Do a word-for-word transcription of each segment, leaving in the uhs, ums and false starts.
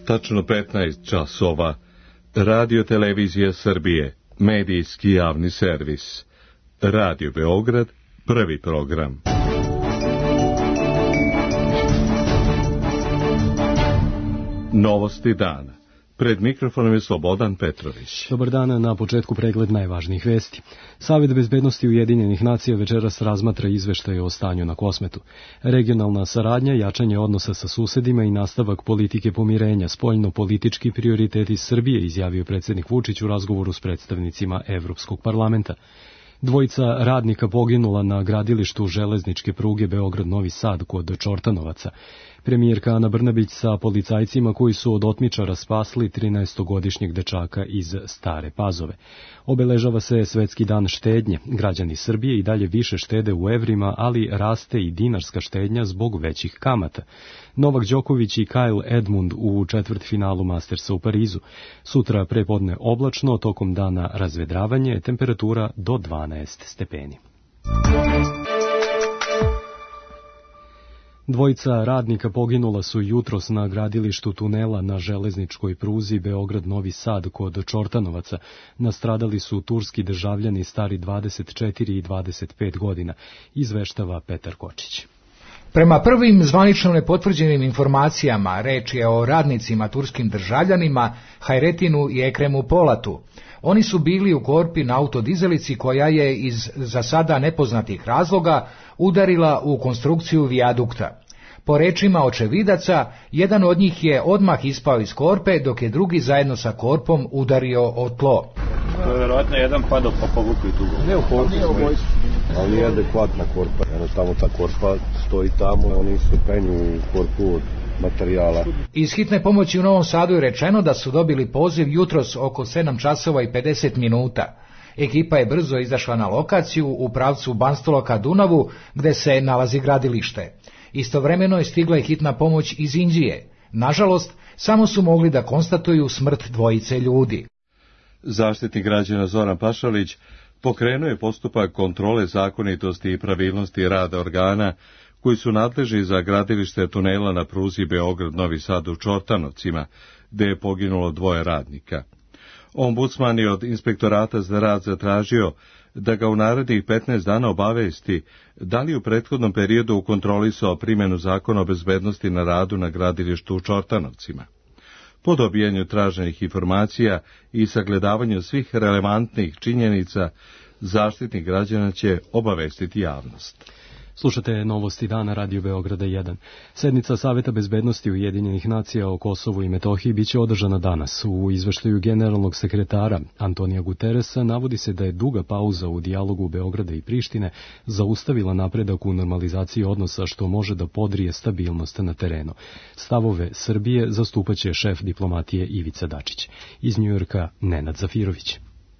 Tačno petnaest časova. Radio Televizija Srbije, medijski javni servis. Radio Beograd, prvi program. Novosti dana. Pred mikrofonom je Slobodan Petrović. Dobar dan, na početku pregled najvažnijih vesti. Savet bezbednosti Ujedinjenih nacija večeras razmatra izveštaje o stanju na Kosmetu. Regionalna saradnja, jačanje odnosa sa susedima i nastavak politike pomirenja, spoljno-politički prioriteti Srbije, izjavio predsjednik Vučić u razgovoru s predstavnicima Evropskog parlamenta. Dvojica radnika poginula na gradilištu železničke pruge Beograd-Novi Sad kod Čortanovaca. Premijerka Ana Brnabić sa policajcima koji su od otmičara spasli trinaestogodišnjeg dečaka iz Stare Pazove. Obeležava se Svetski dan štednje. Građani Srbije i dalje više štede u evrima, ali raste i dinarska štednja zbog većih kamata. Novak Đoković i Kyle Edmund u četvrtfinalu Mastersa u Parizu. Sutra prepodne oblačno, tokom dana razvedravanje, temperatura do dvanaest stepeni. Dvojica radnika poginula su jutros na gradilištu tunela na železničkoj pruzi Beograd-Novi Sad kod Čortanovaca. Nastradali su turski državljani stari dvadeset četiri i dvadeset pet godina, izveštava Petar Kočić. Prema prvim zvanično nepotvrđenim informacijama, reč je o radnicima turskim državljanima Hajretinu i Ekremu Polatu. Oni su bili u korpi na autodizelici koja je iz za sada nepoznatih razloga udarila u konstrukciju vijadukta. Po rečima očevidaca, jedan od njih je odmah ispao iz korpe, dok je drugi zajedno sa korpom udario o tlo. To je vjerojatno jedan padao pa povukli tu go. Ne u korpu, ali nije adekvatna korpa. Jednostavno ta korpa stoji tamo, oni su penju u korpu od materijala. Iz hitne pomoći u Novom Sadu je rečeno da su dobili poziv jutros oko sedam časova i pedeset minuta. Ekipa je brzo izašla na lokaciju u pravcu Banstola ka Dunavu, gde se nalazi gradilište. Istovremeno je stigla i hitna pomoć iz Inđije. Nažalost, samo su mogli da konstatuju smrt dvojice ljudi. Zaštitnik građana Zoran Pašalić pokrenuo je postupak kontrole zakonitosti i pravilnosti rada organa koji su nadležni za gradilište tunela na pruzi Beograd-Novi Sad u Čortanovcima, gde je poginulo dvoje radnika. Ombudsman je od Inspektorata za rad zatražio da ga u narednih petnaest dana obavesti da li u prethodnom periodu kontrolisao primjenu zakona o bezbednosti na radu na gradilištu u Čortanovcima. Po dobijanju traženih informacija i sagledavanju svih relevantnih činjenica, Zaštitnik građana će obavestiti javnost. Slušate novosti dana Radio Beograda jedan. Sednica Saveta bezbednosti Ujedinjenih nacija o Kosovu i Metohiji biće održana danas. U izveštaju generalnog sekretara Antonija Guteresa navodi se da je duga pauza u dijalogu Beograda i Prištine zaustavila napredak u normalizaciji odnosa, što može da podrije stabilnost na terenu. Stavove Srbije zastupaće šef diplomatije Ivica Dačić. Iz Njujorka Nenad Zafirović.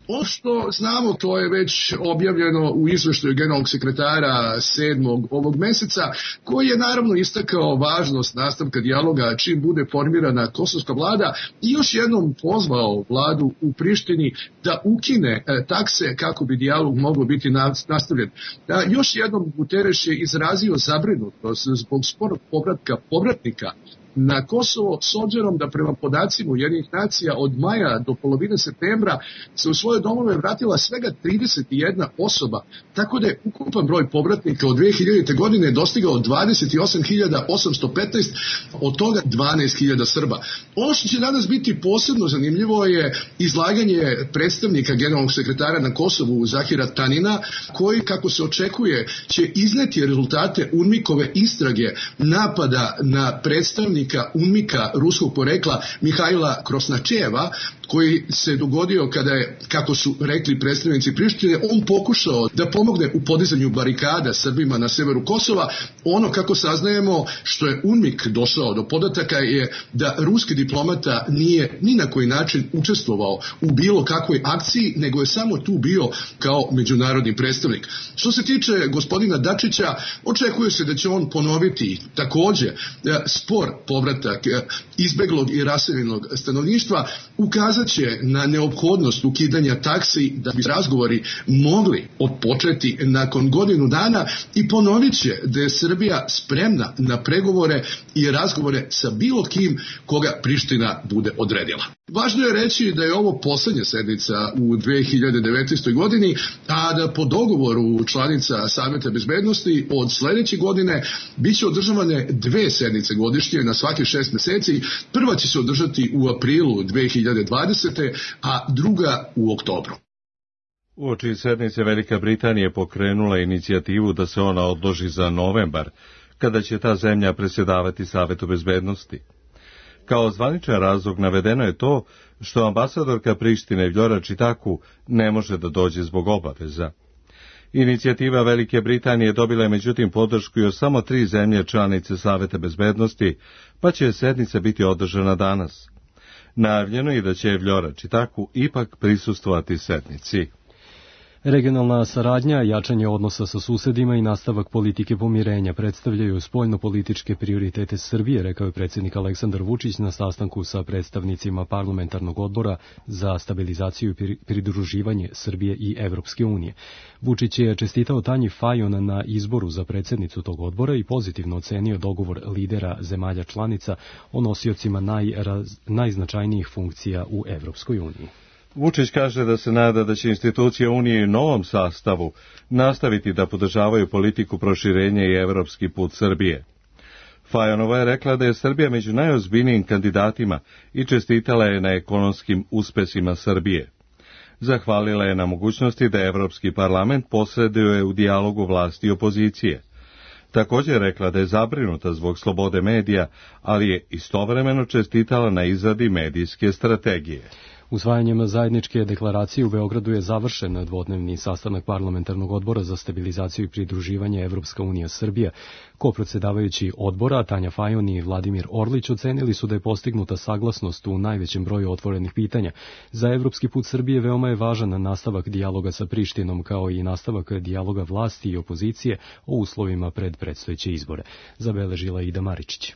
Ono što znamo, to je već objavljeno u izveštaju generalnog sekretara sedmog ovog meseca, koji je naravno istakao važnost nastavka dijaloga čim bude formirana kosovska vlada i još jednom pozvao vladu u Prištini da ukine e, takse kako bi dijalog mogao biti nastavljen. Da, još jednom Guterres je izrazio zabrinutost zbog sporog povratka povratnika na Kosovo, s obzirom da prema podacima Ujedinjenih nacija od maja do polovine septembra se u svoje domove vratila svega trideset jedna osoba, tako da je ukupan broj povratnika od dve hiljadite. godine dostigao dvadeset osam hiljada osamsto petnaest, od toga dvanaest hiljada Srba. Ono što će danas biti posebno zanimljivo je izlaganje predstavnika generalnog sekretara na Kosovu Zahira Tanina, koji, kako se očekuje, će izneti rezultate UNMIK-ove istrage napada na predstavnika UNMIK-a ruskog porekla Mihajla Krosnačeva, koji se dogodio kada je, kako su rekli predstavnici Prištine, on pokušao da pomogne u podizanju barikada Srbima na severu Kosova. Ono, kako saznajemo, što je UNMIK došao do podataka je da ruski diplomata nije ni na koji način učestvovao u bilo kakvoj akciji, nego je samo tu bio kao međunarodni predstavnik. Što se tiče gospodina Dačića, očekuje se da će on ponoviti takođe spor po povratak izbeglog i raseljenog stanovništva, ukazat će na neophodnost ukidanja taksi da bi razgovori mogli odpočeti nakon godinu dana i ponovit će da je Srbija spremna na pregovore i razgovore sa bilo kim koga Priština bude odredila. Važno je reći da je ovo poslednja sednica u dve hiljade devetnaestoj. godini, a da po dogovoru članica Saveta bezbednosti od sledeće godine biće održavane dve sednice godišnje na svake šest meseci. Prva će se održati u aprilu dve hiljade dvadesete. a druga u oktobru. Uoči sednice Velika Britanija pokrenula inicijativu da se ona odloži za novembar, kada će ta zemlja predsjedavati Savetu bezbednosti. Kao zvaničan razlog navedeno je to što ambasadorka Prištine Vljora Čitaku ne može da dođe zbog obaveza. Inicijativa Velike Britanije dobila je međutim podršku još samo tri zemlje članice Saveta bezbednosti, pa će sednica biti održana danas. Najavljeno je da će Vljora Čitaku ipak prisustvovati sednici. Regionalna saradnja, jačanje odnosa sa susedima i nastavak politike pomirenja predstavljaju spoljno-političke prioritete Srbije, rekao je predsjednik Aleksandar Vučić na sastanku sa predstavnicima parlamentarnog odbora za stabilizaciju i pridruživanje Srbije i Evropske unije. Vučić je čestitao Tanji Fajon na izboru za predsjednicu tog odbora i pozitivno ocenio dogovor lidera zemalja članica o nosiocima najraz, najznačajnijih funkcija u Evropskoj uniji. Vučić kaže da se nada da će institucije Unije u novom sastavu nastaviti da podržavaju politiku proširenja i evropski put Srbije. Fajonova je rekla da je Srbija među najozbiljnijim kandidatima i čestitala je na ekonomskim uspesima Srbije. Zahvalila je na mogućnosti da Evropski parlament posreduje u dijalogu vlasti i opozicije. Također je rekla da je zabrinuta zbog slobode medija, ali je istovremeno čestitala na izradi medijske strategije. Usvajanjem zajedničke deklaracije u Beogradu je završen dvodnevni sastanak parlamentarnog odbora za stabilizaciju i pridruživanje Evropska unija Srbija. Kopredsjedavajući odbora Tanja Fajon i Vladimir Orlić ocenili su da je postignuta saglasnost u najvećem broju otvorenih pitanja. Za evropski put Srbije veoma je važan nastavak dijaloga sa Prištinom, kao i nastavak dijaloga vlasti i opozicije o uslovima pred predstojeće izbore. Zabeležila Ida Maričić.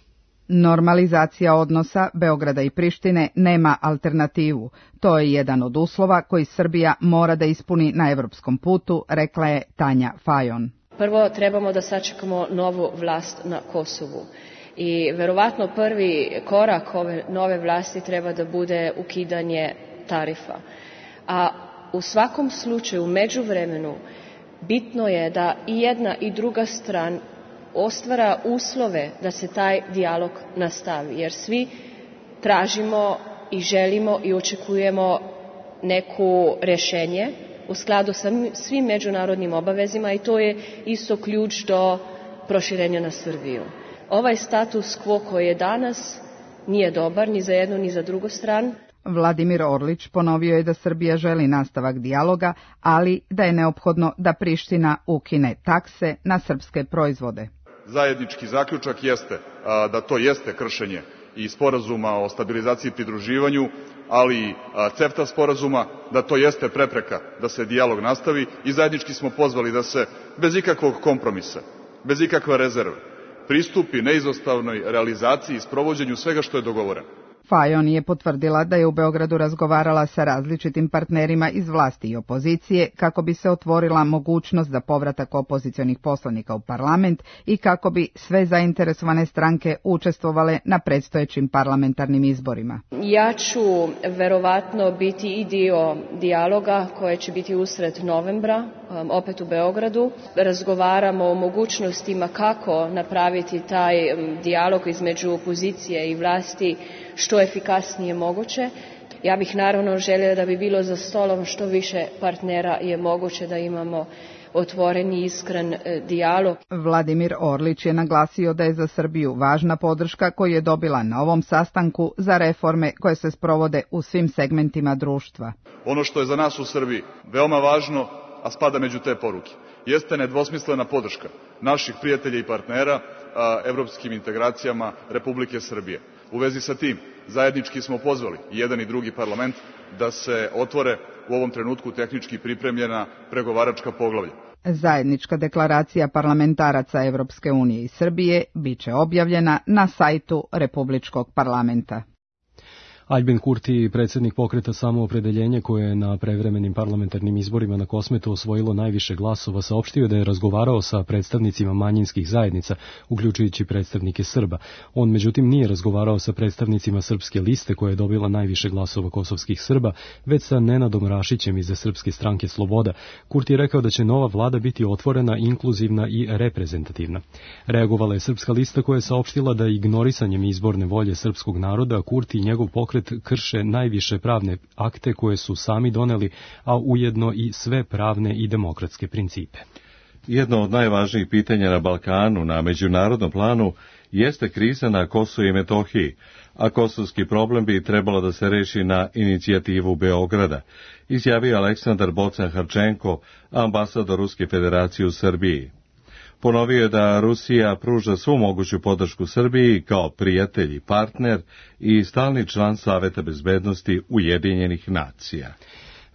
Normalizacija odnosa Beograda i Prištine nema alternativu. To je jedan od uslova koji Srbija mora da ispuni na evropskom putu, rekla je Tanja Fajon. Prvo trebamo da sačekamo novu vlast na Kosovu. I verovatno prvi korak ove nove vlasti treba da bude ukidanje tarifa. A u svakom slučaju, u međuvremenu, bitno je da i jedna i druga strana ostvara uslove da se taj dijalog nastavi, jer svi tražimo i želimo i očekujemo neku rješenje u skladu sa svim međunarodnim obavezima i to je isto ključ do proširenja na Srbiju. Ovaj status quo koji je danas nije dobar ni za jednu ni za drugu stranu. Vladimir Orlić ponovio je da Srbija želi nastavak dijaloga, ali da je neophodno da Priština ukine takse na srpske proizvode. Zajednički zaključak jeste a, da to jeste kršenje i sporazuma o stabilizaciji i pridruživanju, ali i CEFTA sporazuma, da to jeste prepreka da se dijalog nastavi i zajednički smo pozvali da se bez ikakvog kompromisa, bez ikakve rezerve, pristupi neizostavnoj realizaciji i sprovođenju svega što je dogovoreno. Fajon je potvrdila da je u Beogradu razgovarala sa različitim partnerima iz vlasti i opozicije kako bi se otvorila mogućnost za povratak opozicionih poslanika u parlament i kako bi sve zainteresovane stranke učestvovale na predstojećim parlamentarnim izborima. Ja ću verovatno biti i dio dijaloga koje će biti usred novembra, opet u Beogradu. Razgovaramo o mogućnostima kako napraviti taj dijalog između opozicije i vlasti što efikasnije moguće. Ja bih naravno željela da bi bilo za stolom što više partnera je moguće da imamo otvoreni i iskren dijalog. Vladimir Orlić je naglasio da je za Srbiju važna podrška koju je dobila na ovom sastanku za reforme koje se sprovode u svim segmentima društva. Ono što je za nas u Srbiji veoma važno, a spada među te poruke, jeste nedvosmislena podrška naših prijatelja i partnera a, evropskim integracijama Republike Srbije. U vezi sa tim, zajednički smo pozvali jedan i drugi parlament da se otvore u ovom trenutku tehnički pripremljena pregovaračka poglavlja. Zajednička deklaracija parlamentaraca Evropske unije i Srbije biće objavljena na sajtu Republičkog parlamenta. Aljbin Kurti, predsjednik pokreta Samoopredeljenje koje je na prevremenim parlamentarnim izborima na Kosmetu osvojilo najviše glasova, saopštio da je razgovarao sa predstavnicima manjinskih zajednica, uključujući predstavnike Srba. On međutim nije razgovarao sa predstavnicima Srpske liste koja je dobila najviše glasova kosovskih Srba, već sa Nenadom Rašićem iz Srpske stranke Sloboda. Kurti je rekao da će nova vlada biti otvorena, inkluzivna i reprezentativna. Reagovala je Srpska lista koja je saopštila da ignorisanjem izborne volje srpskog naroda Kurti i njegov pokret krše najviše pravne akte koje su sami doneli, a ujedno i sve pravne i demokratske principe. Jedno od najvažnijih pitanja na Balkanu na međunarodnom planu jeste kriza na Kosovu i Metohiji, a kosovski problem bi trebalo da se reši na inicijativu Beograda, izjavio Aleksandar Bocan-Harčenko, ambasador Ruske federacije u Srbiji. Ponovio je da Rusija pruža svu moguću podršku Srbiji kao prijatelj i partner i stalni član Saveta bezbednosti Ujedinjenih nacija.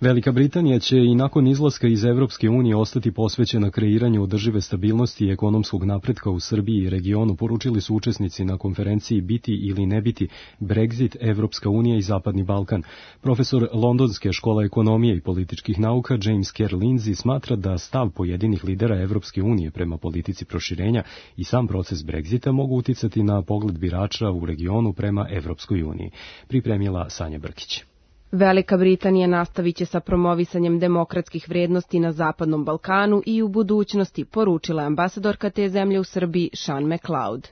Velika Britanija će i nakon izlaska iz Evropske unije ostati posvećena kreiranju održive stabilnosti i ekonomskog napretka u Srbiji i regionu, poručili su učesnici na konferenciji Biti ili ne biti, Brexit, Evropska unija i Zapadni Balkan. Profesor Londonske škole ekonomije i političkih nauka James Kerr Lindsay smatra da stav pojedinih lidera Evropske unije prema politici proširenja i sam proces Brexita mogu uticati na pogled birača u regionu prema Evropskoj uniji. Pripremila Sanja Brkić. Velika Britanija nastavit će sa promovisanjem demokratskih vrijednosti na Zapadnom Balkanu i u budućnosti, poručila je ambasadorka te zemlje u Srbiji Sean McLeod.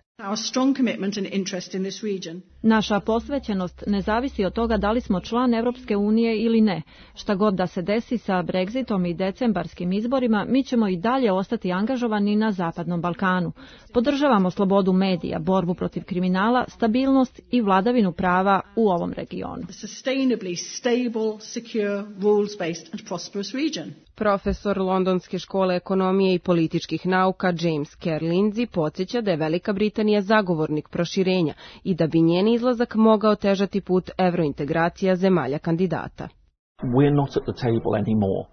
Naša posvećenost ne zavisi od toga da li smo član Evropske unije ili ne. Šta god da se desi sa Brexitom i decembarskim izborima, mi ćemo i dalje ostati angažovani na Zapadnom Balkanu. Podržavamo slobodu medija, borbu protiv kriminala, stabilnost i vladavinu prava u ovom regionu. Profesor Londonske škole ekonomije i političkih nauka James Kerr Lindsay podsjeća da je Velika Britanija zagovornik proširenja i da bi njen izlazak mogao težati put evrointegracija zemalja kandidata.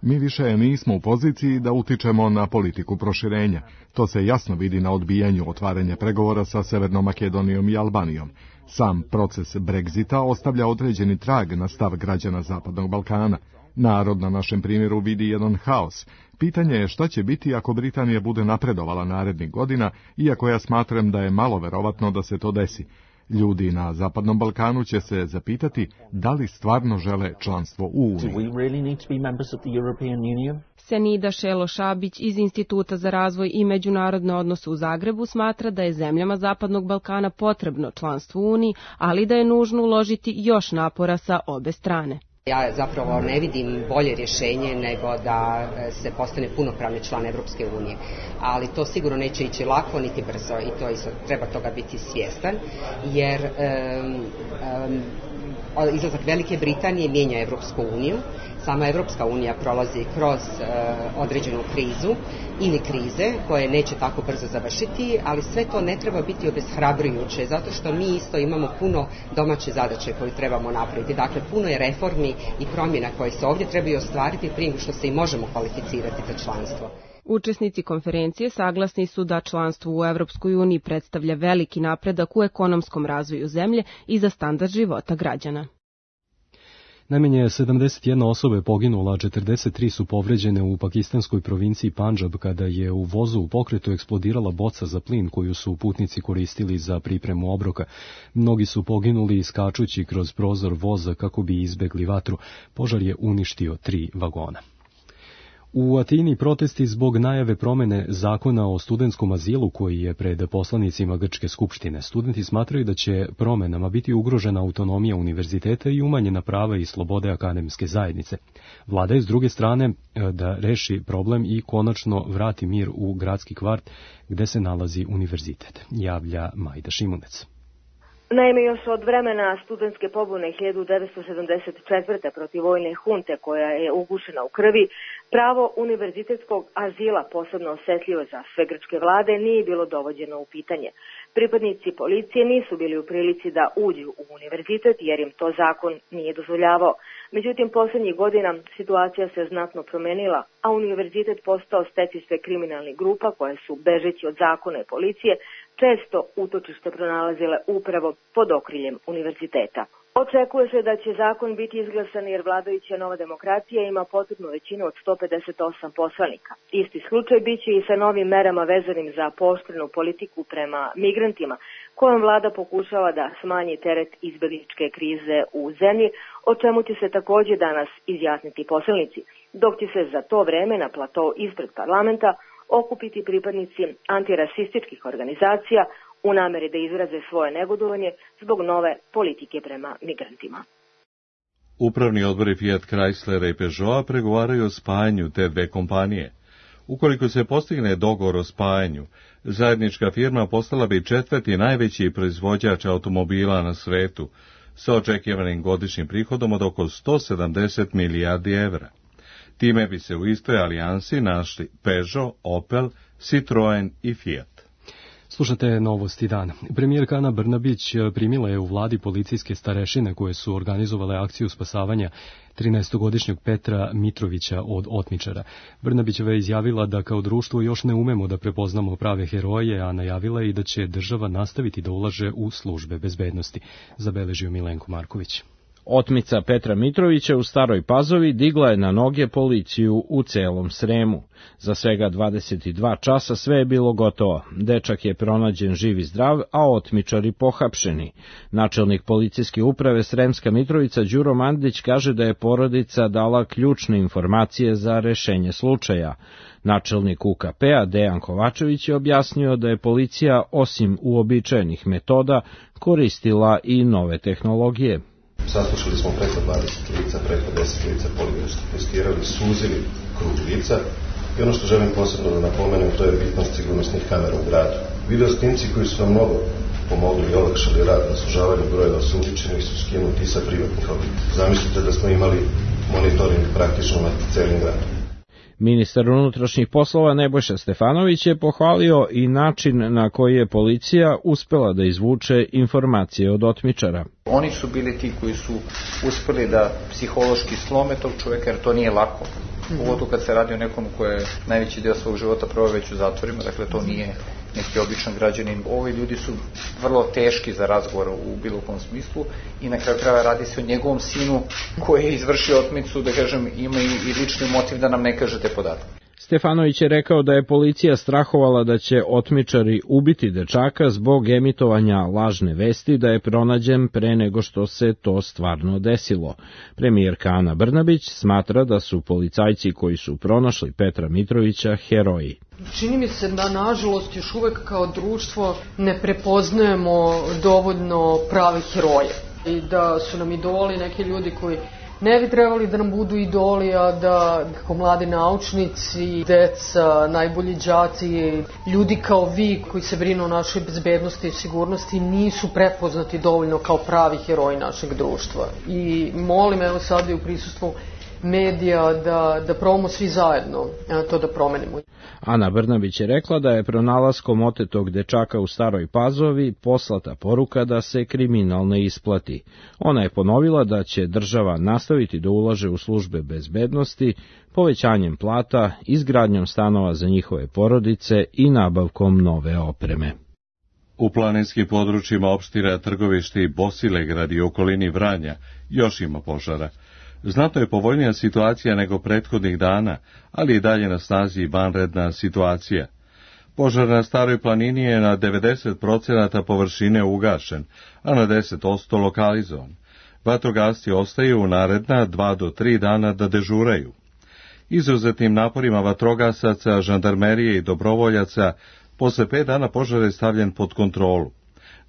Mi više nismo u poziciji da utičemo na politiku proširenja. To se jasno vidi na odbijanju otvaranja pregovora sa Severnom Makedonijom i Albanijom. Sam proces Brexita ostavlja određeni trag na stav građana Zapadnog Balkana. Narod na našem primjeru vidi jedan haos. Pitanje je šta će biti ako Britanija bude napredovala narednih godina, iako ja smatram da je malo verovatno da se to desi. Ljudi na Zapadnom Balkanu će se zapitati da li stvarno žele članstvo u Uniji. Senida Šelo-Šabić iz Instituta za razvoj i međunarodne odnose u Zagrebu smatra da je zemljama Zapadnog Balkana potrebno članstvo u Uniji, ali da je nužno uložiti još napora sa obe strane. Ja zapravo ne vidim bolje rješenje nego da se postane punopravni član Evropske unije, ali to sigurno neće ići lako niti brzo i to isto treba toga biti svjestan, jer um, um, izlazak Velike Britanije mijenja Evropsku uniju. Sama Evropska unija prolazi kroz uh, određenu krizu ili krize koje neće tako brzo završiti, ali sve to ne treba biti obeshrabrujuće, zato što mi isto imamo puno domaće zadaće koje trebamo napraviti. Dakle, puno je reformi i promjena koje se ovdje trebaju ostvariti prije što se i možemo kvalificirati za članstvo. Učesnici konferencije saglasni su da članstvo u Evropskoj uniji predstavlja veliki napredak u ekonomskom razvoju zemlje i za standard života građana. Najmanje sedamdeset jedna osoba je poginula, a četrdeset tri su povređene u pakistanskoj provinciji Pandžab kada je u vozu u pokretu eksplodirala boca za plin koju su putnici koristili za pripremu obroka. Mnogi su poginuli iskačući kroz prozor voza kako bi izbegli vatru. Požar je uništio tri vagona. U Atini protesti zbog najave promene zakona o studentskom azilu koji je pred poslanicima Grčke skupštine. Studenti smatraju da će promenama biti ugrožena autonomija univerziteta i umanjena prava i slobode akademske zajednice. Vlada je s druge strane da reši problem i konačno vrati mir u gradski kvart gde se nalazi univerzitet, javlja Majda Šimunec. Naime, još od vremena studentske pobune hiljadu devetsto sedamdeset četvrte protiv vojne hunte koja je ugušena u krvi, pravo univerzitetskog azila, posebno osetljivo za sve grčke vlade, nije bilo dovođeno u pitanje. Pripadnici policije nisu bili u prilici da uđu u univerzitet jer im to zakon nije dozvoljavao. Međutim, posljednjih godina situacija se znatno promenila, a univerzitet postao stecište kriminalnih grupa koje su, bežeći od zakona i policije, često utočište pronalazile upravo pod okriljem univerziteta. Očekuje se da će zakon biti izglasan jer vladajuća Nova demokracija ima potrebnu većinu od sto pedeset osam poslanika. Isti slučaj biće i sa novim merama vezanim za pooštrenu politiku prema migrantima, kojom vlada pokušava da smanji teret izbegličke krize u zemlji, o čemu će se također danas izjasniti poslanici, dok će se za to vreme na platou ispred parlamenta okupiti pripadnici antirasističkih organizacija u nameri da izraze svoje negodovanje zbog nove politike prema migrantima. Upravni odbori Fiat Chryslera i Peugeota pregovaraju o spajanju te dve kompanije. Ukoliko se postigne dogovor o spajanju, zajednička firma postala bi četvrti najveći proizvođač automobila na svetu, sa očekivanim godišnjim prihodom od oko sto sedamdeset milijardi evra. Time bi se u istoj alijansi našli Peugeot, Opel, Citroen i Fiat. Slušate Novosti dana. Premijerka Ana Brnabić primila je u vladi policijske starešine koje su organizovale akciju spasavanja trinaestogodišnjeg Petra Mitrovića od otmičara. Brnabićeva je izjavila da kao društvo još ne umemo da prepoznamo prave heroje, a najavila je i da će država nastaviti da ulaže u službe bezbednosti, zabeležio Milenko Marković. Otmica Petra Mitrovića u Staroj Pazovi digla je na noge policiju u celom Sremu. Za svega dvadeset dva časa sve je bilo gotovo. Dečak je pronađen živ i zdrav, a otmičari pohapšeni. Načelnik policijske uprave Sremska Mitrovica Đuro Mandić kaže da je porodica dala ključne informacije za rešenje slučaja. Načelnik U K P-a Dejan Kovačević je objasnio da je policija osim uobičajenih metoda koristila i nove tehnologije. Saslušali smo preko dvadeset lica, preko deset lica, poligrafski testirali, suzili krug lica i ono što želim posebno da napomenem, to je bitnost sigurnosnih kamera u gradu. Video snimci koji su nam mnogo pomogli i olakšali rad na sužavanju brojeva osumnjičenih su skinuti sa privatnih objekta. Zamislite da smo imali monitoring praktično nad celim gradom. Ministar unutrašnjih poslova Nebojša Stefanović je pohvalio i način na koji je policija uspela da izvuče informacije od otmičara. Oni su bili ti koji su uspeli da psihološki slome tog čoveka, jer to nije lako. Pogotovo kad se radi o nekom koji je najveći deo svog života proveo već u zatvorima, dakle to nije neki običan građanin. Ovi ljudi su vrlo teški za razgovor u bilo kom smislu i na kraju krajeva radi se o njegovom sinu koji je izvršio otmicu, da kažem, ima i lični motiv da nam ne kaže te podatke. Stefanović je rekao da je policija strahovala da će otmičari ubiti dečaka zbog emitovanja lažne vesti da je pronađen pre nego što se to stvarno desilo. Premijerka Ana Brnabić smatra da su policajci koji su pronašli Petra Mitrovića heroji. Čini mi se da, nažalost, još uvek kao društvo ne prepoznajemo dovoljno prave heroje i da su nam idoli neki ljudi koji ne bi trebali da nam budu idoli, a da kao mladi naučnici, deca, najbolji đaci, ljudi kao vi koji se brinu o našoj bezbednosti i sigurnosti nisu prepoznati dovoljno kao pravi heroji našeg društva. I molim, evo sad i u prisustvu medija da, da probamo svi zajedno to da promenimo. Ana Brnabić je rekla da je pronalaskom otetog dečaka u Staroj Pazovi poslata poruka da se kriminal ne isplati. Ona je ponovila da će država nastaviti da ulaže u službe bezbednosti, povećanjem plata, izgradnjom stanova za njihove porodice i nabavkom nove opreme. U planinskim područjima opština Trgovište i Bosilegrad i okolini Vranja još ima požara. Znatno je povoljnija situacija nego prethodnih dana, ali i dalje na snazi vanredna situacija. Požar na Staroj planini je na devedeset procenata površine ugašen, a na deset posto lokalizovan. Vatrogasci ostaju u naredna dva do tri dana da dežuraju. Izuzetnim naporima vatrogasaca, žandarmerije i dobrovoljaca, posle pet dana požar je stavljen pod kontrolu.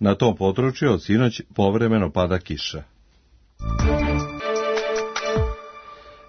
Na tom području od sinoć povremeno pada kiša.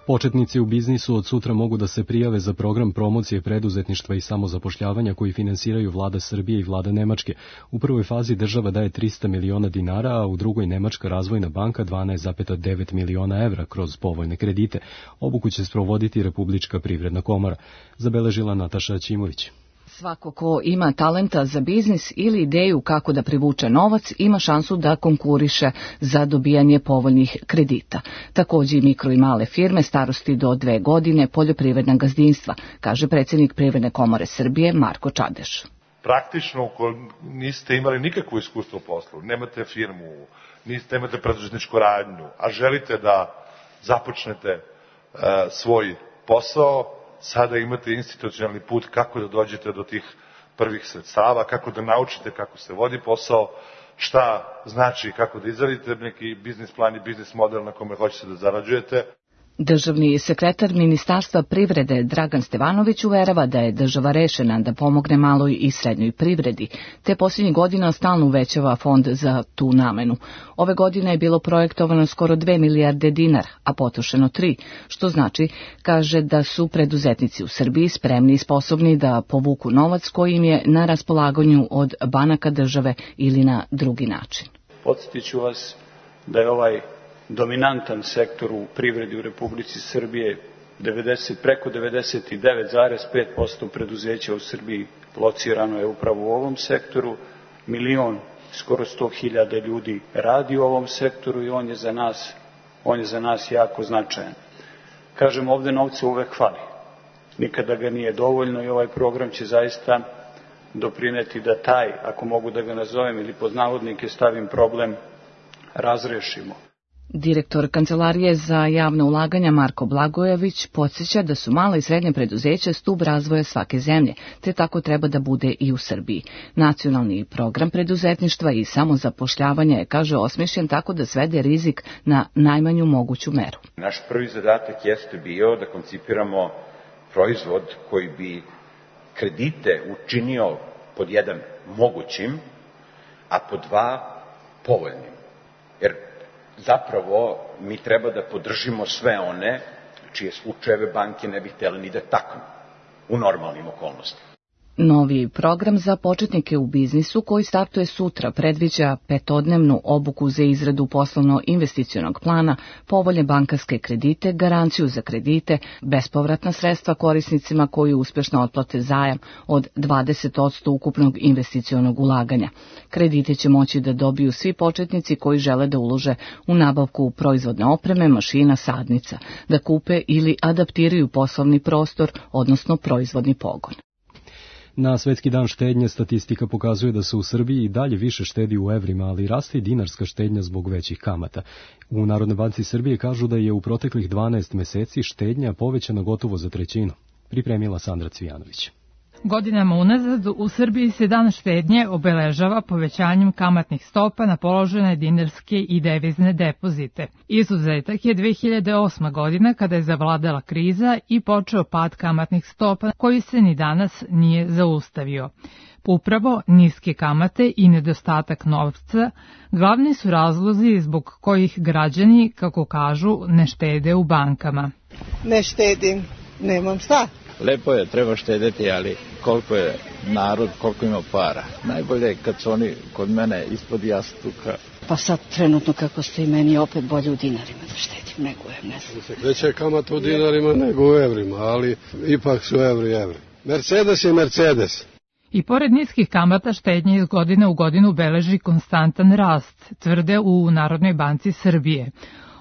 Početnici u biznisu od sutra mogu da se prijave za program promocije preduzetništva i samozapošljavanja koji finansiraju vlada Srbije i vlada Nemačke. U prvoj fazi država daje trista miliona dinara, a u drugoj Nemačka razvojna banka dvanaest zarez devet miliona evra kroz povoljne kredite. Obuku će sprovoditi Republička privredna komora, zabeležila Nataša Ćimović. Svako ko ima talenta za biznis ili ideju kako da privuče novac ima šansu da konkuriše za dobijanje povoljnih kredita. Takođe i mikro i male firme starosti do dve godine, poljoprivredna gazdinstva, kaže predsjednik Privredne komore Srbije Marko Čadeš. Praktično, ako niste imali nikakvo iskustvo u poslu, nemate firmu, niste, nemate preduzetničku radnju, a želite da započnete uh, svoj posao, sada imate institucionalni put kako da dođete do tih prvih sredstava, kako da naučite kako se vodi posao, šta znači kako da izradite neki biznis plan i biznis model na kome hoćete da zarađujete. Državni sekretar Ministarstva privrede Dragan Stevanović uverava da je država rešena da pomogne maloj i srednjoj privredi, te posljednjih godina stalno uvećava fond za tu namenu. Ove godine je bilo projektovano skoro dve milijarde dinara, a potrošeno tri, što znači, kaže da su preduzetnici u Srbiji spremni i sposobni da povuku novac koji im je na raspolaganju od banaka države ili na drugi način. Podsjetiću vas da je ovaj dominantan sektor u privredi u Republici Srbije, devedeset, preko devedeset devet zarez pet posto preduzeća u Srbiji locirano je upravo u ovom sektoru, milion, skoro sto hiljada ljudi radi u ovom sektoru i on je za nas, on je za nas jako značajan. Kažem, ovde novca uvek fali, nikada ga nije dovoljno i ovaj program će zaista doprineti da taj, ako mogu da ga nazovem ili pod navodnike stavim problem, razrešimo. Direktor Kancelarije za javna ulaganja Marko Blagojević podsjeća da su mala i srednja preduzeća stub razvoja svake zemlje, te tako treba da bude i u Srbiji. Nacionalni program preduzetništva i samozapošljavanja je, kaže, osmišljen tako da svede rizik na najmanju moguću meru. Naš prvi zadatak jeste bio da koncipiramo proizvod koji bi kredite učinio pod jedan mogućim, a pod dva povoljnim. Jer zapravo mi treba da podržimo sve one čije slučajeve banke ne bi htjeli ni da taknu u normalnim okolnostima. Novi program za početnike u biznisu koji startuje sutra predviđa petodnevnu obuku za izradu poslovno-investicionog plana, povoljne bankarske kredite, garanciju za kredite, bespovratna sredstva korisnicima koji uspešno otplate zajam od dvadeset posto ukupnog investicionog ulaganja. Kredite će moći da dobiju svi početnici koji žele da ulože u nabavku proizvodne opreme, mašina, sadnica, da kupe ili adaptiraju poslovni prostor, odnosno proizvodni pogon. Na Svetski dan štednje statistika pokazuje da se u Srbiji i dalje više štedi u evrima, ali raste i dinarska štednja zbog većih kamata. U Narodnoj banci Srbije kažu da je u proteklih dvanaest meseci štednja povećana gotovo za trećinu. Pripremila Sandra Cvijanović. Godinama unazad u Srbiji se dan štednje obeležava povećanjem kamatnih stopa na položene dinarske i devizne depozite. Izuzetak je dve hiljade osma godina kada je zavladala kriza i počeo pad kamatnih stopa koji se ni danas nije zaustavio. Upravo niske kamate i nedostatak novca glavni su razlozi zbog kojih građani, kako kažu, ne štede u bankama. Ne štedim, nemam šta. Lepo je, treba štedeti, ali koliko je narod, koliko ima para. Najbolje je kad su oni kod mene ispod jastuka. Pa sad trenutno kako ste i meni opet bolje u dinarima da štedim nego u ne znam. Veća je kamata u dinarima nego u evrima, ali ipak su evri evri. Mercedes je Mercedes. I pored niskih kamata štednje iz godine u godinu beleži konstantan rast, tvrde u Narodnoj banci Srbije.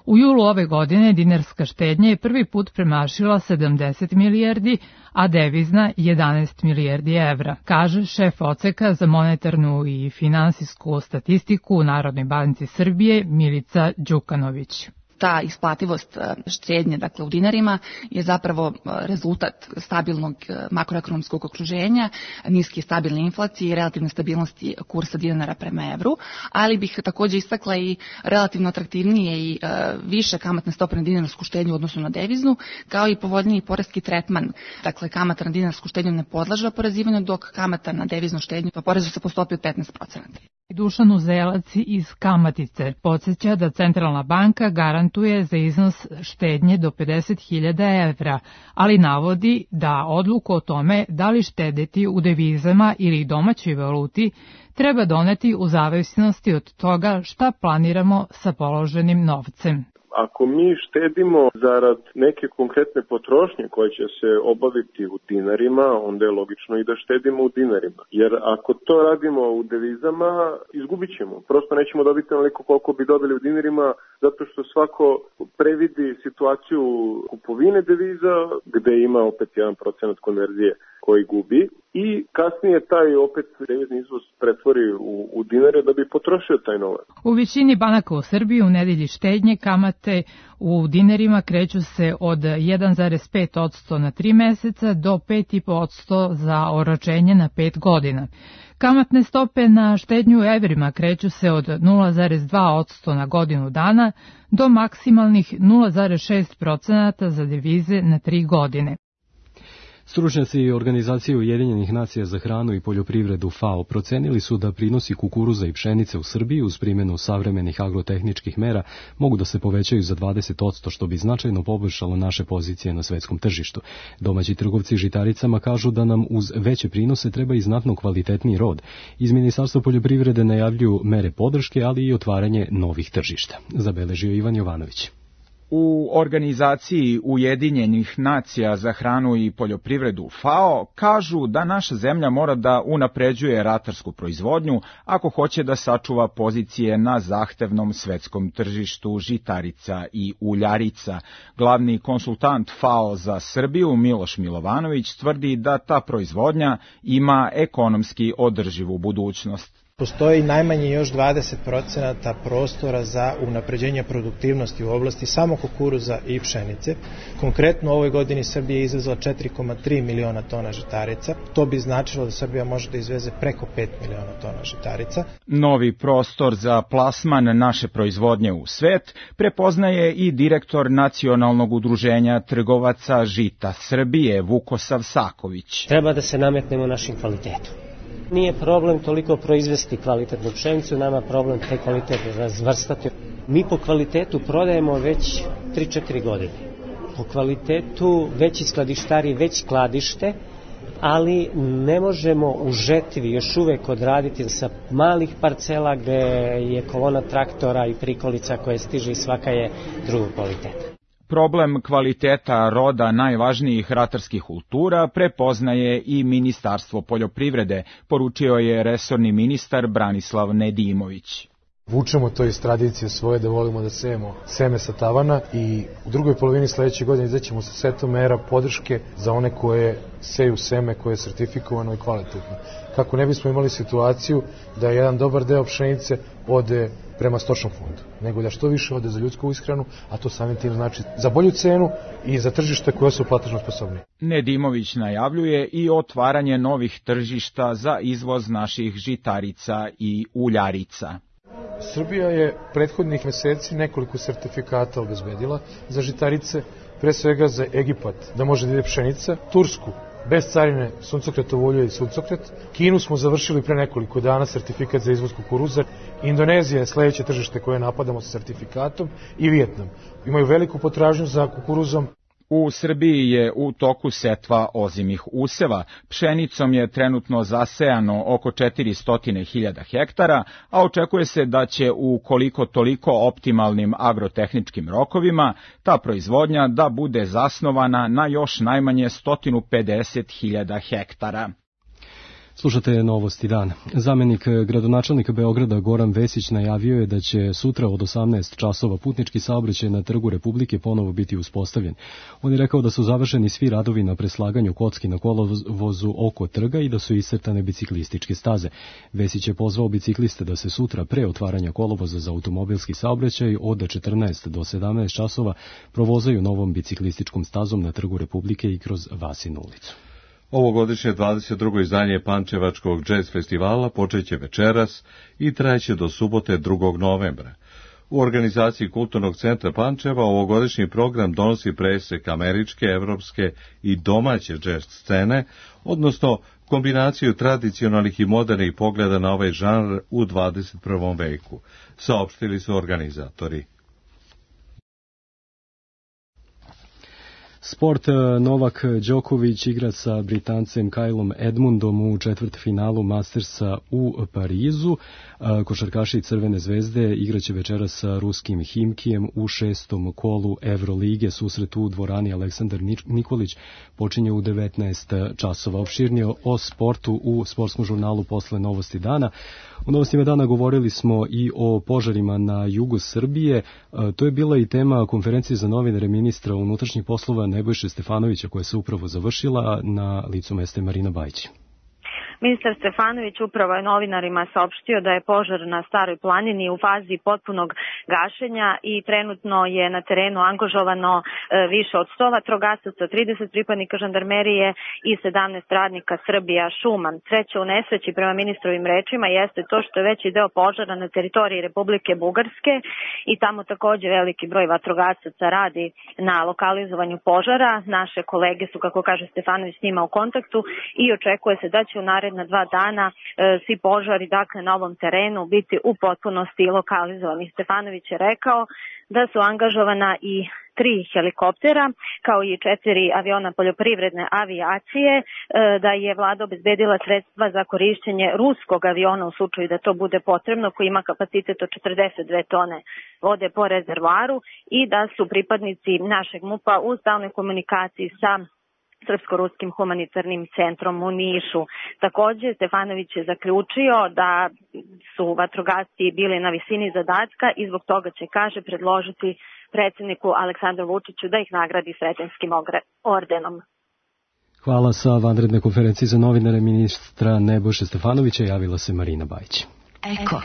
U julu ove godine dinarska štednja je prvi put premašila sedamdeset milijardi, a devizna jedanaest milijardi evra, kaže šef odseka za monetarnu i finansijsku statistiku u Narodnoj banci Srbije Milica Đukanović. Ta isplativost štednje, dakle u dinarima, je zapravo rezultat stabilnog makroekonomskog okruženja, niske stabilne inflacije i relativne stabilnosti kursa dinara prema evru, ali bih također istakla i relativno atraktivnije i više kamatne stope na dinarsku štednju u odnosu na deviznu, kao i povoljniji poreski tretman. Dakle, kamata na dinarsku štednju ne podlaže oporezivanju, dok kamata na deviznu štednju oporezu se po stopi od petnaest procenata. Dušan Uzelac iz Kamatice podsjeća da Centralna banka garantuje za iznos štednje do pedeset hiljada evra, ali navodi da odluku o tome da li štedeti u devizama ili domaćoj valuti treba doneti u zavisnosti od toga šta planiramo sa položenim novcem. Ako mi štedimo zarad neke konkretne potrošnje koja će se obaviti u dinarima, onda je logično i da štedimo u dinarima. Jer ako to radimo u devizama, izgubit ćemo. Prosto nećemo dobiti onoliko koliko bi dobili u dinarima, zato što svako previdi situaciju kupovine deviza, gde ima opet jedan procenat konverzije koji gubi i kasnije taj opet devizni izvoz pretvori u, u dinare da bi potrošio taj novac. U većini banaka u Srbiji u nedelji štednje kamate u dinarima kreću se od jedan zarez pet posto na tri meseca do pet zarez pet posto za oročenje na pet godina. Kamatne stope na štednju u evrima kreću se od nula zarez dva posto na godinu dana do maksimalnih nula zarez šest posto za devize na tri godine. Stručnjaci Organizacije Ujedinjenih nacija za hranu i poljoprivredu FAO procenili su da prinosi kukuruza i pšenice u Srbiji uz primjenu savremenih agrotehničkih mera mogu da se povećaju za dvadeset posto, što bi značajno poboljšalo naše pozicije na svetskom tržištu. Domaći trgovci žitaricama kažu da nam uz veće prinose treba i znatno kvalitetniji rod. Iz Ministarstva poljoprivrede najavljuju mere podrške, ali i otvaranje novih tržišta. Zabeležio Ivan Jovanović. U Organizaciji Ujedinjenih nacija za hranu i poljoprivredu FAO kažu da naša zemlja mora da unapređuje ratarsku proizvodnju ako hoće da sačuva pozicije na zahtevnom svetskom tržištu žitarica i uljarica. Glavni konsultant FAO za Srbiju Miloš Milovanović tvrdi da ta proizvodnja ima ekonomski održivu budućnost. Postoji najmanje još dvadeset procenata prostora za unapređenje produktivnosti u oblasti samo kukuruza i pšenice. Konkretno u ovoj godini Srbija je izvezla četiri zarez tri miliona tona žitarica. To bi značilo da Srbija može da izveze preko pet miliona tona žitarica. Novi prostor za plasman naše proizvodnje u svet prepoznaje i direktor Nacionalnog udruženja trgovaca žita Srbije Vukosav Saković. Treba da se nametnemo našim kvalitetom. Nije problem toliko proizvesti kvalitetnu pšenicu, nama problem taj kvalitet razvrstati. Mi po kvalitetu prodajemo već tri četiri godine. Po kvalitetu veći skladištari već skladište, ali ne možemo u žetvi još uvek odraditi sa malih parcela gde je kolona traktora i prikolica koje stiže i svaka je drugog kvaliteta. Problem kvaliteta roda najvažnijih ratarskih kultura prepoznaje i Ministarstvo poljoprivrede, poručio je resorni ministar Branislav Nedimović. Vučemo to iz tradicije svoje da volimo da sejemo seme sa tavana i u drugoj polovini sledeće godine izaćemo sa setom mera podrške za one koje seju seme koje je sertifikovano i kvalitetno. Kako ne bismo imali situaciju da jedan dobar deo pšenice ode prema stočnom fondu, nego da što više ode za ljudsku ishranu, a to samim tim znači za bolju cenu i za tržište koje su platežno sposobni. Nedimović najavljuje i otvaranje novih tržišta za izvoz naših žitarica i uljarica. Srbija je prethodnih meseci nekoliko sertifikata obezbedila za žitarice, pre svega za Egipat, da može da ide pšenica, Tursku, bez carine suncokretovo ulje i suncokret. Kinu smo završili pre nekoliko dana sertifikat za izvoz kukuruza. Indonezija je sledeće tržište koje napadamo sa sertifikatom i Vijetnam. Imaju veliku potražnju za kukuruzom. U Srbiji je u toku setva ozimih useva. Pšenicom je trenutno zasejano oko četiristo hiljada hektara, a očekuje se da će u koliko toliko optimalnim agrotehničkim rokovima ta proizvodnja da bude zasnovana na još najmanje sto pedeset hiljada hektara. Slušate Novosti dana. Zamenik gradonačelnika Beograda Goran Vesić najavio je da će sutra od osamnaest časova putnički saobraćaj na Trgu Republike ponovo biti uspostavljen. On je rekao da su završeni svi radovi na preslaganju kocki na kolovozu oko trga i da su iscrtane biciklističke staze. Vesić je pozvao bicikliste da se sutra pre otvaranja kolovoza za automobilski saobraćaj od četrnaest do sedamnaest časova provozaju novom biciklističkom stazom na Trgu Republike i kroz Vasinu ulicu. Ovogodišnje dvadeset drugo izdanje Pančevačkog džez festivala počeće večeras i trajeće do subote drugog novembra. U organizaciji Kulturnog centra Pančeva ovogodišnji program donosi presek američke, evropske i domaće džez scene, odnosno kombinaciju tradicionalnih i modernih pogleda na ovaj žanr u dvadeset prvom veku, saopštili su organizatori. Sport. Novak Đoković igra sa Britancem Kylom Edmundom u četvrtfinalu Mastersa u Parizu. Košarkaši Crvene zvezde igraće večeras sa ruskim Himkijem u šestom kolu Evrolige. Susret u dvorani Aleksandar Nikolić počinje u devetnaest časova. Opširnije o sportu u sportskom žurnalu posle Novosti dana. U Novostima dana govorili smo i o požarima na jugu Srbije. To je bila i tema konferencije za novinare ministra unutrašnjih poslova Nebojše Stefanovića koja se upravo završila. Na licu mesta je Marina Bajić. Ministar Stefanović upravo je novinarima saopštio da je požar na Staroj planini u fazi potpunog gašenja i trenutno je na terenu angažovano više od sto vatrogasaca, trideset pripadnika žandarmerije i sedamnaest radnika Srbija šuma. Sreća u nesreći prema ministrovim rečima jeste to što je veći deo požara na teritoriji Republike Bugarske i tamo takođe veliki broj vatrogasaca radi na lokalizovanju požara. Naše kolege su, kako kaže Stefanović, s njima u kontaktu i očekuje se da će u narednom na dva dana e, svi požari dakle na ovom terenu biti u potpunosti lokalizovani. Stefanović je rekao da su angažovana i tri helikoptera kao i četiri aviona poljoprivredne avijacije, e, da je vlada obezbedila sredstva za korišćenje ruskog aviona u slučaju da to bude potrebno, koji ima kapacitet od četrdeset dve tone vode po rezervoaru i da su pripadnici našeg MUP-a u stalnoj komunikaciji sa Srpsko-ruskim humanitarnim centrom u Nišu. Takođe, Stefanović je zaključio da su vatrogasci bili na visini zadatka i zbog toga će, kaže, predložiti predsjedniku Aleksandru Vučiću da ih nagradi Sretenjskim ordenom. Hvala. Sa vanredne konferencije za novinare ministra Nebojše Stefanovića javila se Marina Bajić. Eko.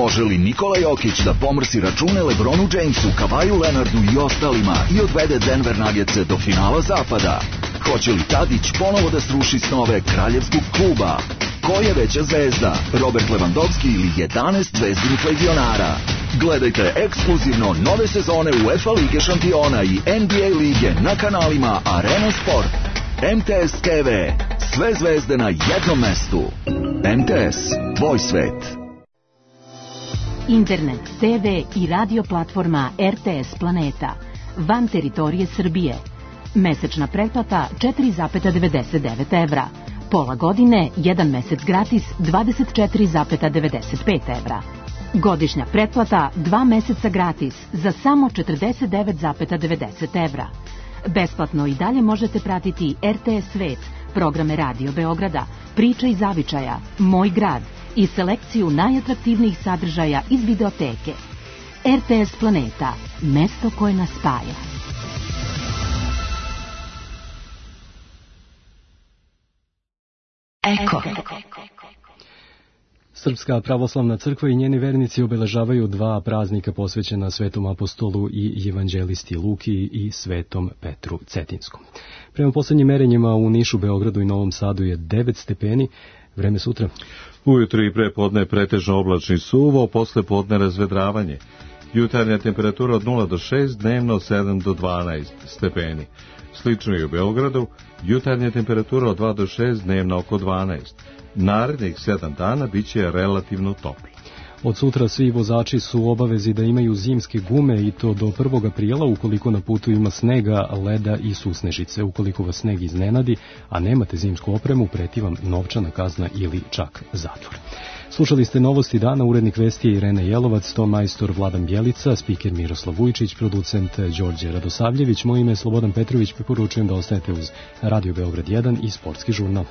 Može li Nikola Jokić da pomrsi račune LeBronu Jamesu, Kavaju Leonardu i ostalima i odvede Denver Nuggetse do finala zapada? Hoće li Tadić ponovo da sruši snove kraljevskog kluba? Ko je veća zvezda, Robert Lewandowski ili jedanaest zvezdinih legionara? Gledajte ekskluzivno nove sezone UEFA Lige šampiona i N B A lige na kanalima Arena Sport. M T S T V. Sve zvezde na jednom mestu. M T S. Tvoj svet. Internet, te ve i radio platforma R T S Planeta. Van teritorije Srbije. Mesečna pretplata četiri zarez devedeset devet evra. Pola godine, jedan mesec gratis dvadeset četiri zarez devedeset pet evra. Godišnja pretplata dva meseca gratis za samo četrdeset devet zarez devedeset evra. Besplatno i dalje možete pratiti R T S Svet, programe Radio Beograda, Priča iz Zavičaja, Moj grad i selekciju najatraktivnijih sadržaja iz videoteke. R T S Planeta, mesto koje nas spaja. Eko. Srpska pravoslavna crkva i njeni vernici obeležavaju dva praznika posvećena Svetom apostolu i evanđelisti Luki i Svetom Petru Cetinskom. Prema poslednjim merenjima u Nišu, Beogradu i Novom Sadu je devet stepeni. Vreme sutra. Ujutro i pre podne pretežno oblačni suvo, posle podne razvedravanje. Jutarnja temperatura od nula do šest, dnevno sedam do dvanaest stepeni. Slično i u Beogradu, jutarnja temperatura od dva do šest, dnevno oko dvanaest. Narednih sedam dana biće relativno toplo. Od sutra svi vozači su u obavezi da imaju zimske gume i to do prvog aprila ukoliko na putu ima snega, leda i susnežice. Ukoliko vas sneg iznenadi, a nemate zimsku opremu, preti vam novčana kazna ili čak zatvor. Slušali ste Novosti dana, urednik vesti je Irena Jelovac, ton majstor Vladan Bjelica, spiker Miroslav Vujčić, producent Đorđe Radosavljević. Moje ime je Slobodan Petrović, preporučujem da ostanete uz Radio Beograd jedan i Sportski žurnal.